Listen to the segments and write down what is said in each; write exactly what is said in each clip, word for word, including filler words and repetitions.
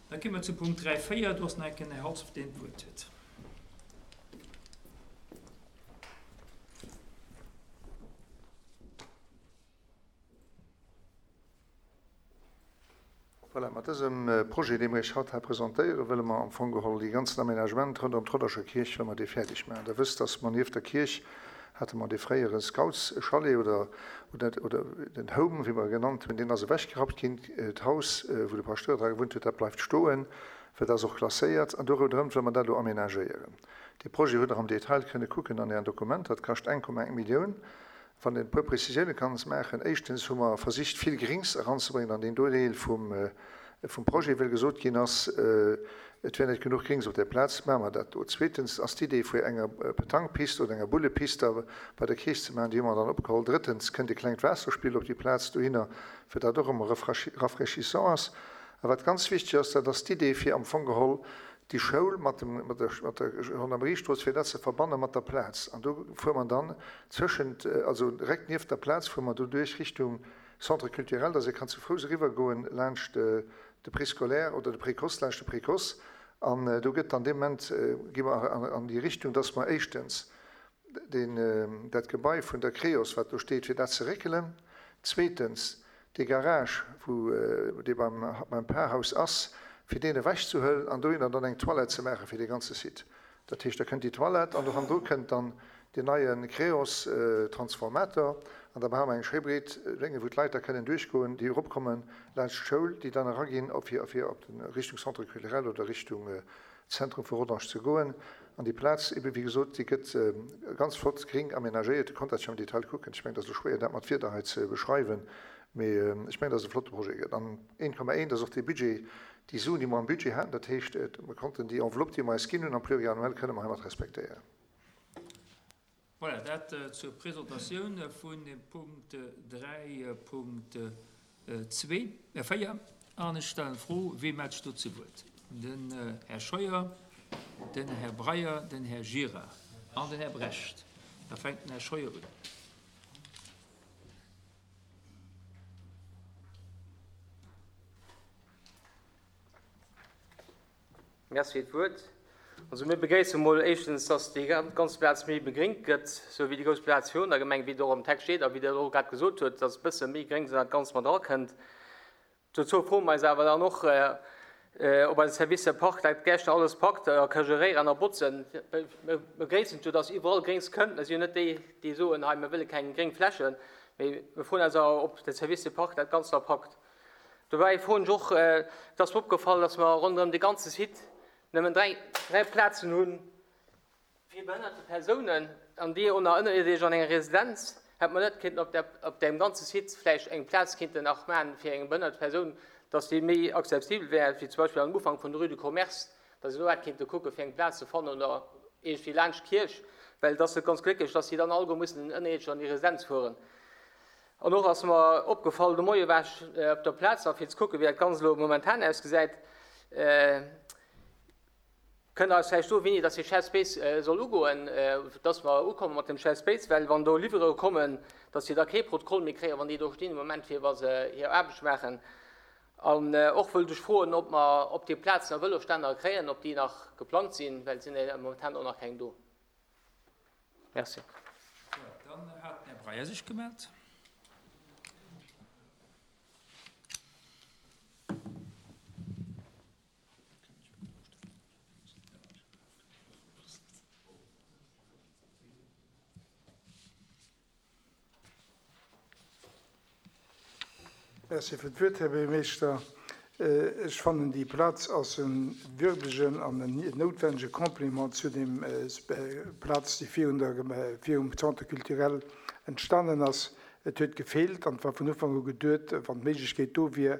Da gi mer zu Punkt dräi véier. Do ass nach eng Kéier den Här Halsdorf, deen d'Wuert huet. Voilà, mat dësem Projet, dee mer Iech haut hei presentéieren, wëlle mer am Fong geholl dee ganzen Aménagement ronderëm d'Rodderscher Kierch, wëlle mer dee fäerdeg maachen. Der wësst, dass mer nieft der Kierch hate mer dee fréiere Scoutschalet oder, oder, oder den Home, wéi mer e genannt hunn, deen ass ewechgerappt ginn. D'Haus, wou de Paschtouer dra gewunnt huet, dat bleift stoen, well dat ass och klasséiert. An do ronderëm wëlle mer dat elo aménagéieren. Dee Projet hutt Der am Detail kënne kucken an Ären Dokumenter. Dat kascht eng Komma eng Millioun. Wann een e puer Prezisioune kann maachen, Éischtens hu mer versicht, vill Grings eranzebréngen an deen do Deel vum Projet, well gesot ginn ass, et wär net genuch Grings op där Plaz, maache mer dat do. Zweetens ass d'Idee vu enger Petanquepiste oder enger Bullepiste da bei der Kierch ze maachen, déi hu mer dann opgeholl. Drëttens kënnt e klengt Waasserspill op déi Plaz dohinner, fir dat och ëmmer rafraîchissant ass. A wat ganz wichteg ass, dat ass d'Idee fir am Fong geholl déi Schoul mat dem, mat der, mat der Gendarmeriestrooss, fir dat ze verbanne mat der Plaz. An do fuere mer dann zwëschent, also direkt nieft der Plaz fuere mer doduerch Richtung Centre culturel, dass ee kann zu Fouss eriwwergoen laanscht de Préscolaire oder de Précoce, laanscht de Précoce. An do gëtt dann dee Moment, gi mer an déi Richtung, dass mer éischtens deen, dat Gebai vun der Creos, wat do steet, fir dat ze réckelen, zweetens dee Garage, wou dee beim, beim Parhaus ass, fir deen ewechzehuelen an dohinner dann eng Toilette ze maache fir dee ganze Site. Dat heescht, da kënnt déi Toilette an do hannendru kënnt dann deen neie Creos-Transformator an da brauche mer eng schéi breet Lénge, wou d'Leit da kënnen duerchgoen, déi eropkomme laanscht d'Schoul, déi dann eraginn, op fir, fir op de Richtung Centre culturel oder Richtung Zentrum vu Rodange ze goen. An déi Plaz, ebe wéi gesot, déi gëtt ganz flott gring aménagéiert. Dir konnt dat jo am Detail kucken. Ech mengen, et ass elo schwéier, dat mat Wierder hei ze beschreiwen, mee ech mengen, dass et e flotte Projet gëtt. An een Komma een, dat ass och dee Budget, déi Suen, déi mer am Budget haten. Dat heescht, mer konnten déi Enveloppe, déi mer eis ginn hunn am Pluriannuel, kënne mer heimat respektéieren. Voilà, dat zur Presentatioun vun dem Punkt dräi Punkt zwee, véier. An ech stellen d'Fro, Wee mellt sech do zu Wuert? Den Här Scheuer, den Här Breyer, den Här Gira an den Här Brecht. Da fänkt den Här Scheuer un. Merci fir d'Wuert. Also mir begréissen emol éischtens, dass déi ganz Plaz méi begréngt gëtt, sou wéi déi grouss Plaz virun der Gemeng, wéi et och am Text steet a wéi Der och grad gesot hutt, dass e bësse méi Gréngs an dat Ganzt mat erakënnt. Dozou froe mer eis awer dann och, ob eise Service Park dat Gäscht alles packt a ka geréieren a botzen. Mir begréissen jo, dass iwwerall Gréngs kënnt. Mir sinn jo net déi, déi soen, hei mir wëlle keng gréng Flächen, mee mir froen eis awer, ob de Service Park dat Ganzt da packt. Dobäi froen ech och, et ass mer opgefall, dass mer ronderëm de ganze Site nëmmen dräi, dräi Plazen hu fir behënnerte Persounen, an déi och nach ënnerierdesch an enger Residenz. Hätt mer net kéinten op der, op deem ganze Site vläicht eng Plaz kéinten nach maachen fir eng behënnert Persoun, dass déi méi accessibel wär, wéi zum Beispill am Ufank vun der Rue du Commerce, dass een do hätt kéinte kucke fir eng Plaz ze fannen oder iergendwéi laanscht d'Kierch, well et ass net ganz glécklech, dass déi dann alleguer mussen ënnerierdesch an déi Residenz fueren. An och ass mer opgefall, de Moie war ech op der Plaz nach fir ze kucken, wéi dat Ganzt elo momentan ausgesäit. Kënnt Der eis vläicht soen, wéini dass dee Shared Space soll ugoen, dass mer ukomme mat dem Shared Space? Well wann do Liwwerere kommen, dass si da kee Protokoll méi kréien, wann déi do stinn am Moment, fir wa se hir Aarbecht maachen. An och wëllt ech froen, ob mer op déi Plaz nach Vëlosstänner kréien, ob déi nach geplangt sinn, well et sinn momentan och nach keng do. Merci. Dann hat den Här Breyer sech gemellt. Merci fir d'Wuert, Här Buergermeeschter. Ech fannen, déi Plaz ass e würdegen an en noutwendege Complément zu deem Plaz, déi virun der, virum Centre culturel entstanen ass. Et huet gefeelt an et war vun Ufank u geduet, wann d'Méiglechkeet do wier,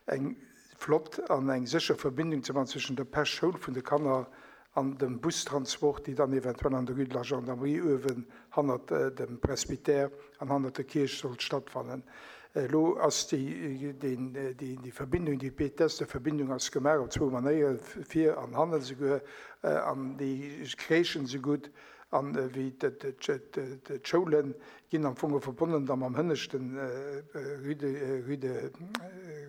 eng flott an eng sécher Verbindung ze maachen zwëschen der Pech-Schoul vun de Kanner an dem Bustransport, déi dann eventuell an der Rue de la Gendarmerie uewen hannert dem Presbytère an hannert der Kierch sollt stattfannen. Elo ass déi Verbindung, déi Péitester-Verbindung ass gemaach op zwou Manéieren, vir an hannen esouguer, an déi kréischen esou gutt. An wéi d'Schoulen ginn am Fong verbonnen da mam hënneschten rue de, rue de,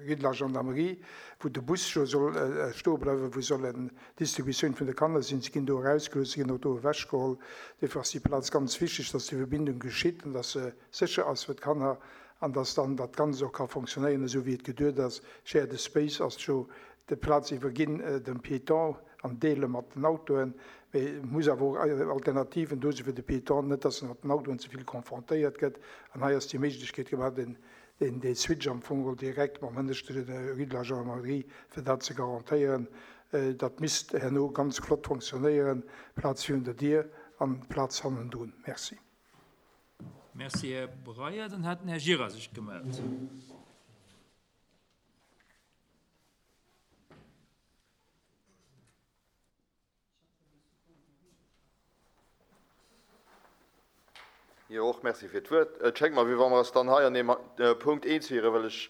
rue de la Gendarmerie, wou de Bus scho soll stoe bleiwen, wou soll eng Distributioun vun de Kanner sinn. Si ginn do erausgelooss, si ginn och do ewechgeholl. Duerfir ass déi Plaz ganz wichteg, dass déi Verbindung geschitt an dass se sécher ass fir d'Kanner an dass dann dat Ganzt och ka fonctionnéieren, esou wéi et geduet ass. Shared Space ass jo déi Plaz iwwerginn dem Piéton an deele mat den Autoen, mee et muss awer och Alternativen do si fir de Piéton, net dass en mat den Autoen ze vill confrontéiert gëtt. An hei ass déi Méiglechkeet gemaach, den, den, dee Switch am Fong geholl direkt mam hënneschte Rue de la Gendarmerie, fir dat ze garantéieren. Dat misst herno ganz flott fonctionnéieren, Plaz virun der Dier an Plaz hannendrun. Merci. Merci, Här Breyer. Dann hat den Här Gira sech gemellt. Jo, och Merci fir d'Wuert. Et schéngt mer, wéi wa mer eis dann hei an deem Punkt eens wieren, well ech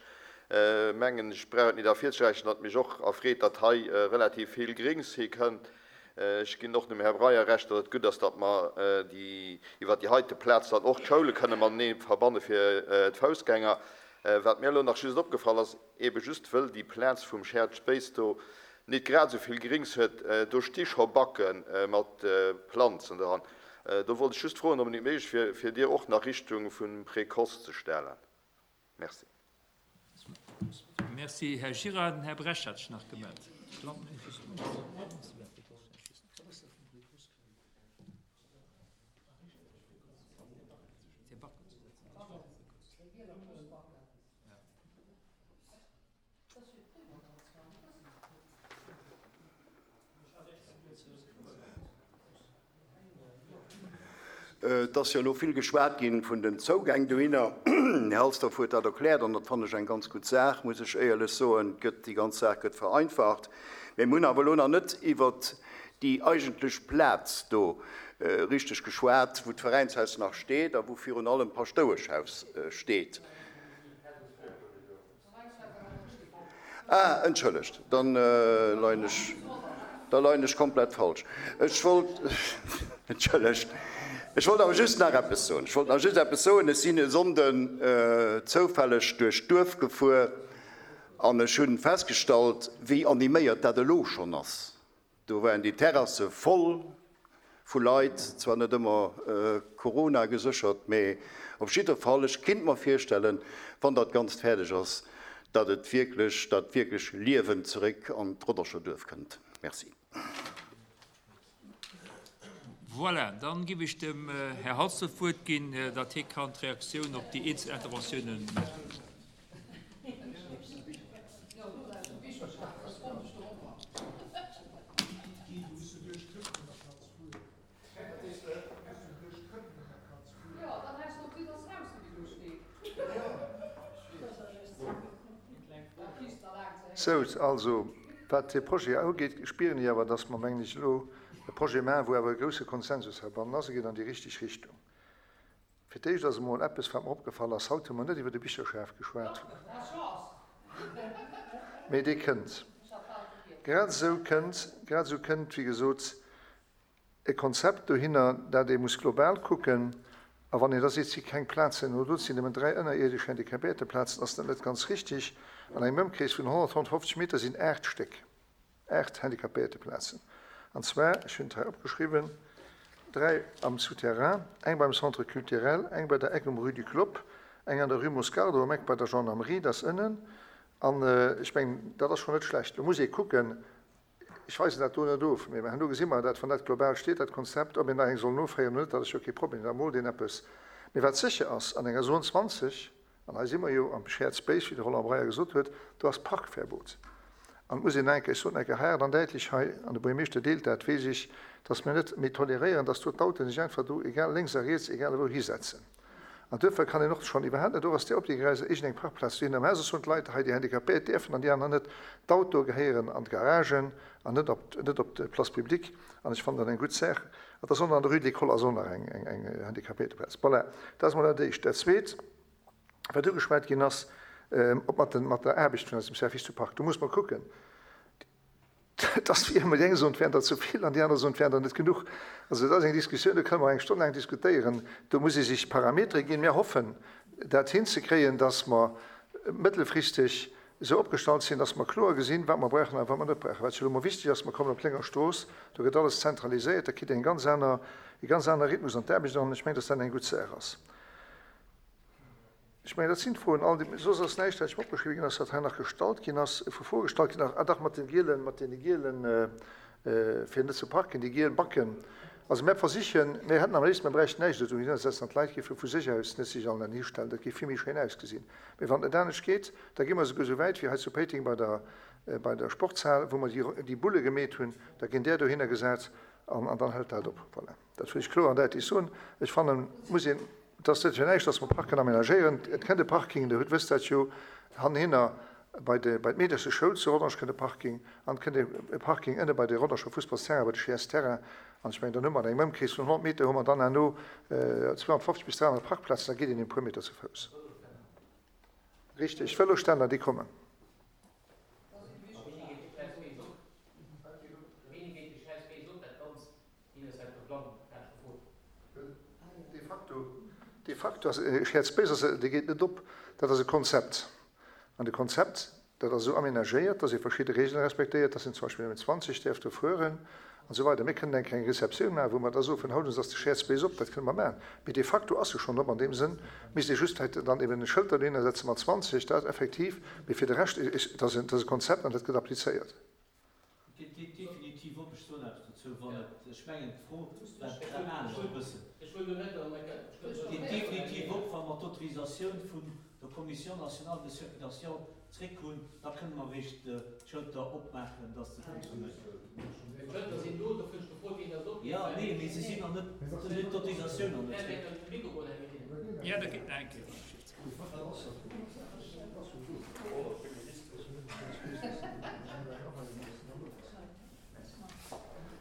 mengen, ech brauch et nit ervirzesträichen, datt mech och erfreet, datt hei relativ vill Grings hikënnt. Ech ginn och dem Här Breyer Recht, datt et gutt ass, datt mer déi, iwwert déi heite Plaz dann och d'Schoule kënne matenee verbanne fir d'Foussgänger. Wat mir elo nach just opgefall ass, ebe just wëll déi Plaz vum Shared Space do nit grad esou vill Grings huet, do sti scho Backe mat Planzen dran. Do wollt ech just froen, ob et nit méiglech wier, fir déi och nach Richtung vum Précoce ze stellen. Merci. Merci, Här Gira. Den Här Bresch hat sech nach gemellt. Et ass jo elo vill geschwat ginn vun den Zougäng dohinner. Här Halsdorf huet dat erkläert an dat fannen ech eng ganz gutt Saach, muss ech éierlech soen. Gëtt, déi ganz Saach gëtt vereinfacht. Mee mir hunn awer elo nach net iwwert déi eigentlech Plaz do richteg geschwat, wou d'Veräinshaus nach steet a wou virun allem d'Paschtoueschhaus steet. Ah, entschëllegt, dann leien ech, da leien ech komplett falsch. Ech wollt, entschëllegt, ech wollt awer just nach eppes soen. Ech wollt nach just eppes soen. Ech sinn e Sonnden zoufälleg duerch d'Duerf gefuer an ech hunn festgestallt, wéi animéiert dat elo schonn ass. Do waren déi Terrasse voll vu Leit, zwar net ëmmer Corona geséchert, mee op jidder Fall, ech kinnt mer virstellen, wann dat Ganzt fäerdeg ass, datt et wierklech, datt wierklech Liewen zeréck an d'Rodderscher Duerf kënnt. Merci. Voilà, dann gebe ich dem Herr Halsdorf d'Wuert ginn, datt hie kann d'Reaktioun op déi eenzel Interventiounen maachen. Sou, also, wat de Projet ugeet, spieren ech awer, dass mer, mengen ech, elo e Projet maachen, wou awer e grousse Konsensus heibannen ass. E geet an déi richteg Richtung. Fir d'éischt ass emol eppes, wat mer opgefall ass, Haut hu mer net iwwer de Bicherschaf geschwat, mee dee kënnt. Grad esou kënnt, grad esou kënnt, wéi gesot, e Konzept dohinner, dat ee muss global kucken. A wann een da seet, et si keng Plazen oder do sinn nëmmen dräi ënnerierdesch Handicapéierteplazen, ass dat net ganz richtig. An engem Ëmkrees vun honnert, honnertfofzeg Meter sinn aacht Stéck, aacht Handicapéierteplazen. An zwar, ech hunn et hei opgeschriwwen, dräi am Souterrain, eng beim Centre culturel, eng bei der Eck um Rue du Clopp, eng an der Rue Moscardo um Eck bei der Gendarmerie, dat ass ënnen. An ech mengen, dat ass schonn net schlecht. Lo muss ee kucken, ech weisen dat do net of, mee herno gesi mer dat, wann dat global steet, dat Konzept, ob een nach eng soll noféieren oder net, dat ass jo kee Problem, da moolt een eppes. Mee wat sécher ass, an enger Zone zwanzeg, an hei si mer jo am Shared Space, wéi de Roland Breyer gesot huet, do ass Parkverbot. An et muss een enke, ech soten enke haart an däitlech hei, an de Buergermeeschter deelt dat, weess ech, dass mir net méi toleréieren, dass do d'Auten sech einfach do, egal lénks a riets, egal ewou hisetzen. An duerfir kann een och schonn iwwerhaapt net, do ass déi Opdiergreiser iergendeng Parkplaz dohinner, mä soss hunn d'Leit hei, déi Handicapéiert däerfen an déi aner net, d'Autoe gehéieren an d'Garagen an net op, net op d'Place publique. An ech fannen dat eng gutt Saach. An da soll an der Rue de l'École ass och nach eng, eng, eng Handicapéierteplaz. Voilà, dat ass mol dat Éischt. Dat Zweet, wat ugeschwat ginn ass, ob mat den, mat der Aarbecht vun eisem Service du Parc, do muss mer kucken, Et ass wéi ëmmer, déi eng soen, et wären der ze vill an déi aner soen, et wären der net genuch. Also dat ass eng Diskussioun, do kënne mer eng Stonn laang diskutéieren. Do muss ee sech Parametere ginn. Mir hoffen, dat hinzekréien, dass mer mëttelfristeg esou opgestallt sinn, dass mer kloer gesinn, wat mer brauchen a wat mer net brauchen. Wat jo elo mol wichteg ass, mer kommen op d'Lénger Strooss, do gëtt alles zentraliséiert, da kritt een e ganz aner, e ganz aner Rhythmus an d'Aarbecht an ech mengen, dass dat eng gutt Saach ass. Ech mengen, dat sinn d'Froen all, déi, soss ass näischt, wat ech mer opgeschriwwen ginn ass, wat hei nach gestallt ginn ass, vu Froe gestallt ginn ass. Ah dach, mat de gielen, mat deene gielen, fir net ze parken, déi giel Backen. Also mär versichen, mär hätten am léifsten, mär bräichten näischt dozou hinnersetzen an d'Leit géife vu sech aus net sech allen histellen, dat géif vill méi schéin ausgesinn. Mee wann et net anescht geet, da gi mer esouguer esou wäit wéi hei zu Péiteng bei der, bei der Sportshal, wou mer déi, déi Bulle gemeet hunn, da ginn där dohinner gesat an, an dann hält dat op. Voilà. Dat wëll ech kloer an däitlech soen. Ech fannen, muss een, et ass net fir näischt, dass mer Parken aménagéieren. Et kënnt e Parking, Der hutt, wësst dat jo, hannerhinner bei de, bei d'Meedercheschoul zu Rodange kënnt e Parking an et kënnt e Parking ënne bei de Rodanger Fussballsterrain, bei de Ch-Terrain. An ech mengen, dann hu mer an engem Ëmkrees vun honnert Meter hu mer dann herno zweehonnertfofzeg bis dräihonnert Parkplazen, da geet een e puer Meter zu Fouss. Richtig, Vëlosständer, déi kommen. De facto, de facto ass e Shared Space, ass, dee geet net op, dat ass e Konzept. An de Konzept, dat ass esou aménagéiert, dass ee verschidde Regeln respektéiert, dass een zum Beispill nëmmen zwanzeg däerf do fueren an esou weider. Mir kënnen eng kleng Receptioun maachen, wou mer da soen, vun haut un ass de Shared Space op, dat kënne mer maachen. Mee de facto ass e schonn op. An deem Sënn misst ee just vläicht dann eben e Schëld dohinner setze mat zwanzeg, dat effektiv. Mee fir de Rescht, dat ass e Konzept an dat gëtt applizéiert. Et geet definitiv op. Ech soen eppes dozou, wann et, ech mengen d'Fro war grad anescht e bëssen. Et geet definitiv op, wa mer d'Autorisatioun vun der Commission nationale de circulation zréck hunn, da kënne mer eréischt d'Schëlter opmaachen, dass se funktionéieren. Jo, nee, mee se sinn nach net, se hunn d'Autorisatioun nach net zréck. Jo, da geet nach eng Kéier.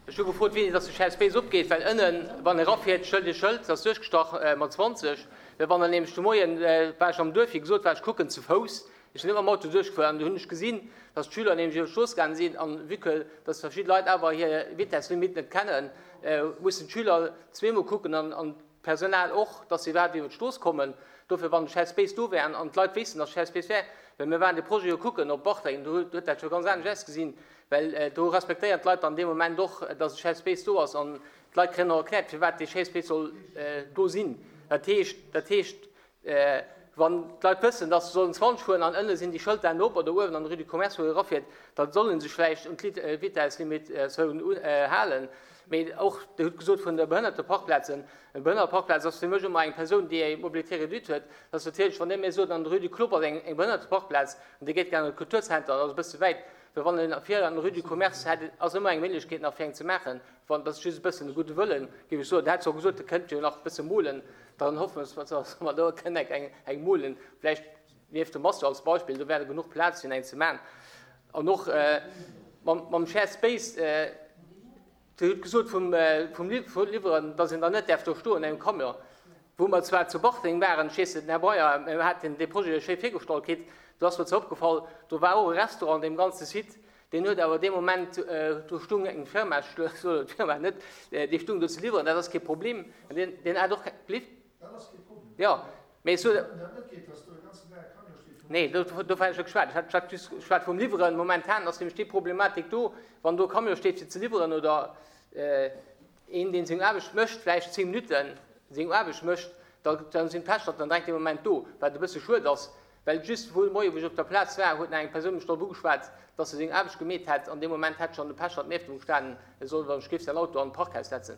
Ech hu gefrot, wéini dass de Shared Space opgeet, well ënnen, wann e erafiert, Schëld e Schëld, ass duerchgestach mat zwanzeg. Well wann en nämlech de Moien, war ech am Duerf, wéi gesot, war ech kucken zu Fouss, ech sinn net mam Auto duerchgefuer, an do hunn ech gesinn, dass d'Schüler nämlech iwwer d'Strooss gaange sinn, an vue que dass verschidde Leit awer hir Vitesslimite net kennen, mussen d'Schüler zweemol kucken an d'Personal och, dass se iwwerhaapt iwwer d'Strooss kommen. Dofir, wann de Shared Space do wär an d'Leit wéissten, dass Shared Space wär, well mir waren de Projet jo kucken op Bartreng, do huet dat scho ganz anescht ausgesinn, well do respektéieren d'Leit dann dee Moment och, dass e Shared Space do ass an d'Leit kréien och erkläert, firwat dee Shared Space soll do sinn. Dat heescht, dat heescht, wann d'Leit wëssen, dass se sollen zwanzeg fueren an ënne sinn déi Schëlter op oder uewen an der Rue du Commerce, wou e erafiert, da solle sech vläicht un d'Vitesslimit-Zone halen. Mee och, Dir hutt gesot vun de Behënnerteparkplazen, e Behënnerteparkplaz ass fir mech ëmmer eng Persoun, déi eng Mobilité réduite huet. Dat ass natierlech, wann Dir mir sot, an der Rue du Club ass eng Behënnerteparkplaz an Dir geet gär an de Kulturzenter, dat ass e bësse wäit. Well wann een vir an der Rue du Commerce hätt, ass ëmmer eng Méiglechkeet nach fir eng ze maachen. Wann, dat ass just e bëssen de gudde Wëllen, géif ech soen. Dir hat zwar gesot, Dir kënnt jo nach e bësse molen, dann hoffe mer, dass mer do kënnen eng, eng molen. Vläicht nieft dem Master als Beispill, do wär genuch Plaz fir eng ze maachen. An och mam, mam Shared Space, Dir hutt gesot vum, vum Liwweren, dass een da net däerf do stoen engem Camion. Wou mer zwar zu Bartreng waren, ech weess net, den Här Breyer, mir haten dee Projet jo schéi virgestallt kritt, do ass mer zwar opgefall, do war och e Restaurant an deem ganze Site, deen huet awer dee Moment, do stung eng Firma, ech soen d'Firma net, déi stung do ze liwweren, dat ass kee Problem, an deen, deen hat och kee, Dat ass kee Problem. Jo, mee ech soen. Wann dat net geet, dass do e ganzen Dag e Camion steet vum. Nee, do, dovun hat ech net geschwat. Ech hat, ech hat just geschwat vum Liwweren. Momentan ass nämlech déi Problematik do, wann do e Camion steet fir ze liwweren oder een, deen seng Aarbecht mécht, vläicht zéng Minutten seng Aarbecht mécht, da, dann sinn d'Pechterten dann direkt dee Moment do, wat e bësse schued ass, well just wuel moie wou ech op der Plaz war, huet nach eng Persoun mech drop ugeschwat, dass se seng Aarbecht gemeet hätt an deem Moment hätt schonn de Pechtert nieft em gestanen, e soll wann ech géif säin Auto an d'Parkhaus setzen.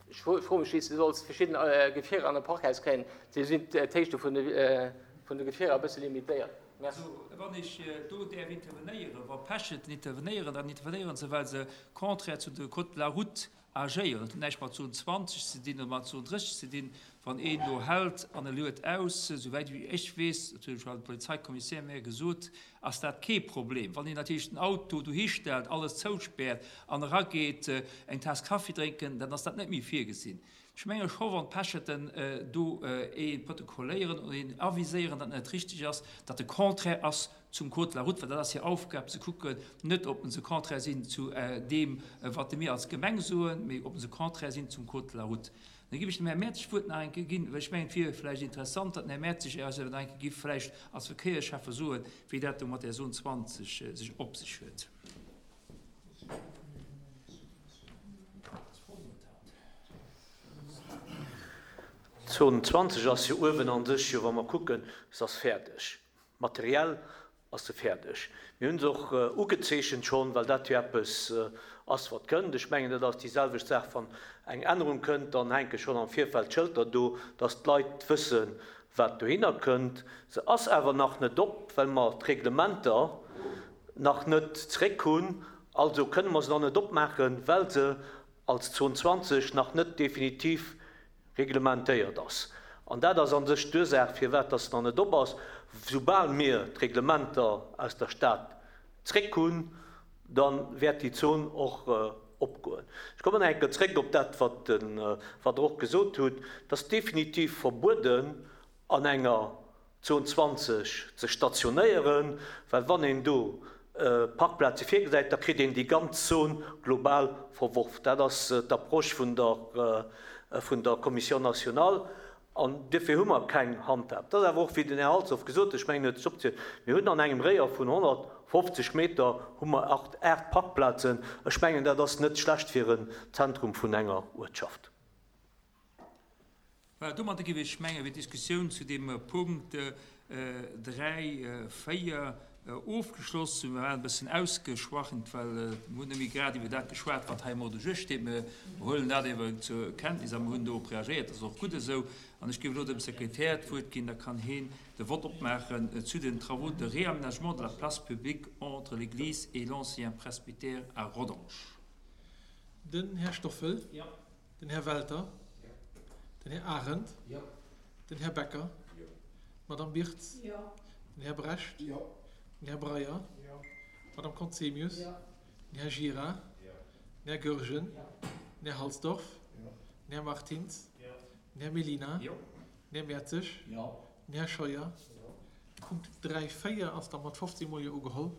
Ech froe mech, wéi s de solls verschidden Gefierer an e Parkhaus kréien. Si sinn d'Héichte vun de Gefierer e bësse limitéiert. Merci. Also, wann ech do däerf intervenéieren, wa Pecheten intervenéieren, dann intervenéieren se, well se contraire zu de Code de la route agéieren. Dat huet näischt mat Zone zwanzeg ze dinn oder mat Zone drësseg ze dinn. Wann een do hält an e luet aus, souwäit wéi ech weess, dat huet jo de Polizeikommissär mir gesot, ass dat kee Problem. Wann een natierlech den Auto dohistellt, alles zouspäert an erageet eng Taass Kaffi drénken, dann ass dat net méi virgesinn. Ech menge scho, wann d'Pecheten do ee protokolléieren oder een aviséieren, datt net richteg ass, datt de Contraire ass zum Code de la route, well dat ass hir Aufgab ze kucken, net ob se contraire sinn zu deem, wat mir als Gemeng soen, mee ob se contraire sinn zum Code de la route. Da géif ech dem Här Mertzig d'Wuert nach eng Kéier ginn, well ech mengen, et wier vläicht interessant, datt den Här Mertzig eis awer nach eng Kéier géif vläicht als Verkéiersschäffe soen, wéi dat do mat där Zone zwanzeg sech op sech huet. D'Zone zwanzeg ass jo uewen an sech jo, wa mer kucken, se ass fäerdeg. Materiell ass se fäerdeg. Mir hu se och ugezeechent schonn, well dat jo eppes ass, wat kënnt. Ech mengen, dat ass déi selwecht Saach, wann eng Ännerung kënnt, dann hänke schonn am Virfeld d'Schëlter do, dass d'Leit wëssen, wat dohinner kënnt. Se ass awer nach net op, well mer d'Reglementer nach net zréck hunn. Also kënne mer se nach net opmaachen, well se als Zon zwanzeg nach net definitiv reglementéiert ass. An dat ass an sech d'Ursaach, firwat dass se nach net op ass. Soubal mir d'Reglementer aus der Stad zréck hunn, da wäert déi Zon och opgoen. Ech kommen nach eng Kéier zréck op dat, wat Der och gesot hutt. Et ass definitiv verbueden, an enger Zon zwanzeg ze stationéieren, well wann een do Parkplaze virgesäit, da kritt een déi ganz Zon global verworf. Dat ass d'Approche vun der vun der Commission nationale. An duerfir hu mer keng Handhab. Dat ass awer och, wéi den Här Halsdorf gesot huet, ech mengen, en huet sech opgezielt, mir hunn an engem Réier vun honnertfofzeg Meter hu mer acht, aacht Parkplazen. Ech mengen, dat ass net schlecht fir en Zentrum vun enger Uertschaft. Voilà, domadder géif ech mengen, wier d'Diskussioun zu deem Punkt dräi, véier ofgeschloss. Mir waren e bëssen ausgeschwachent, well mir hunn net méi grad iwwer dat geschwat, wat hei am Ordre du jour steet. Mir huelen dat ewer zur Kenntnis a mir hunn dorop reagéiert. Dat ass och gutt esou. An ech géif elo dem Sekretär d'Wuert ginn, da kann heen de Vott opmaachen zu den Travaux de réaménagement de la place publique entre l'église et l'ancien presbytère à Rodange. Den Här Stoffel. Den Här Welter. Den Här Arendt. Den Här Becker. D'Madame Birtz. Den Här Brecht. Den Här Breyer. D'Madame Conzemius. Den Här Gira. Den Här Goergen. Den Här Halsdorf. Den Här Martins. Den Här Mellina. Den Här Mertzig. Den Här Scheuer. Punkt dräi, véier ass da mat fofzéng Mol Jo ugeholl.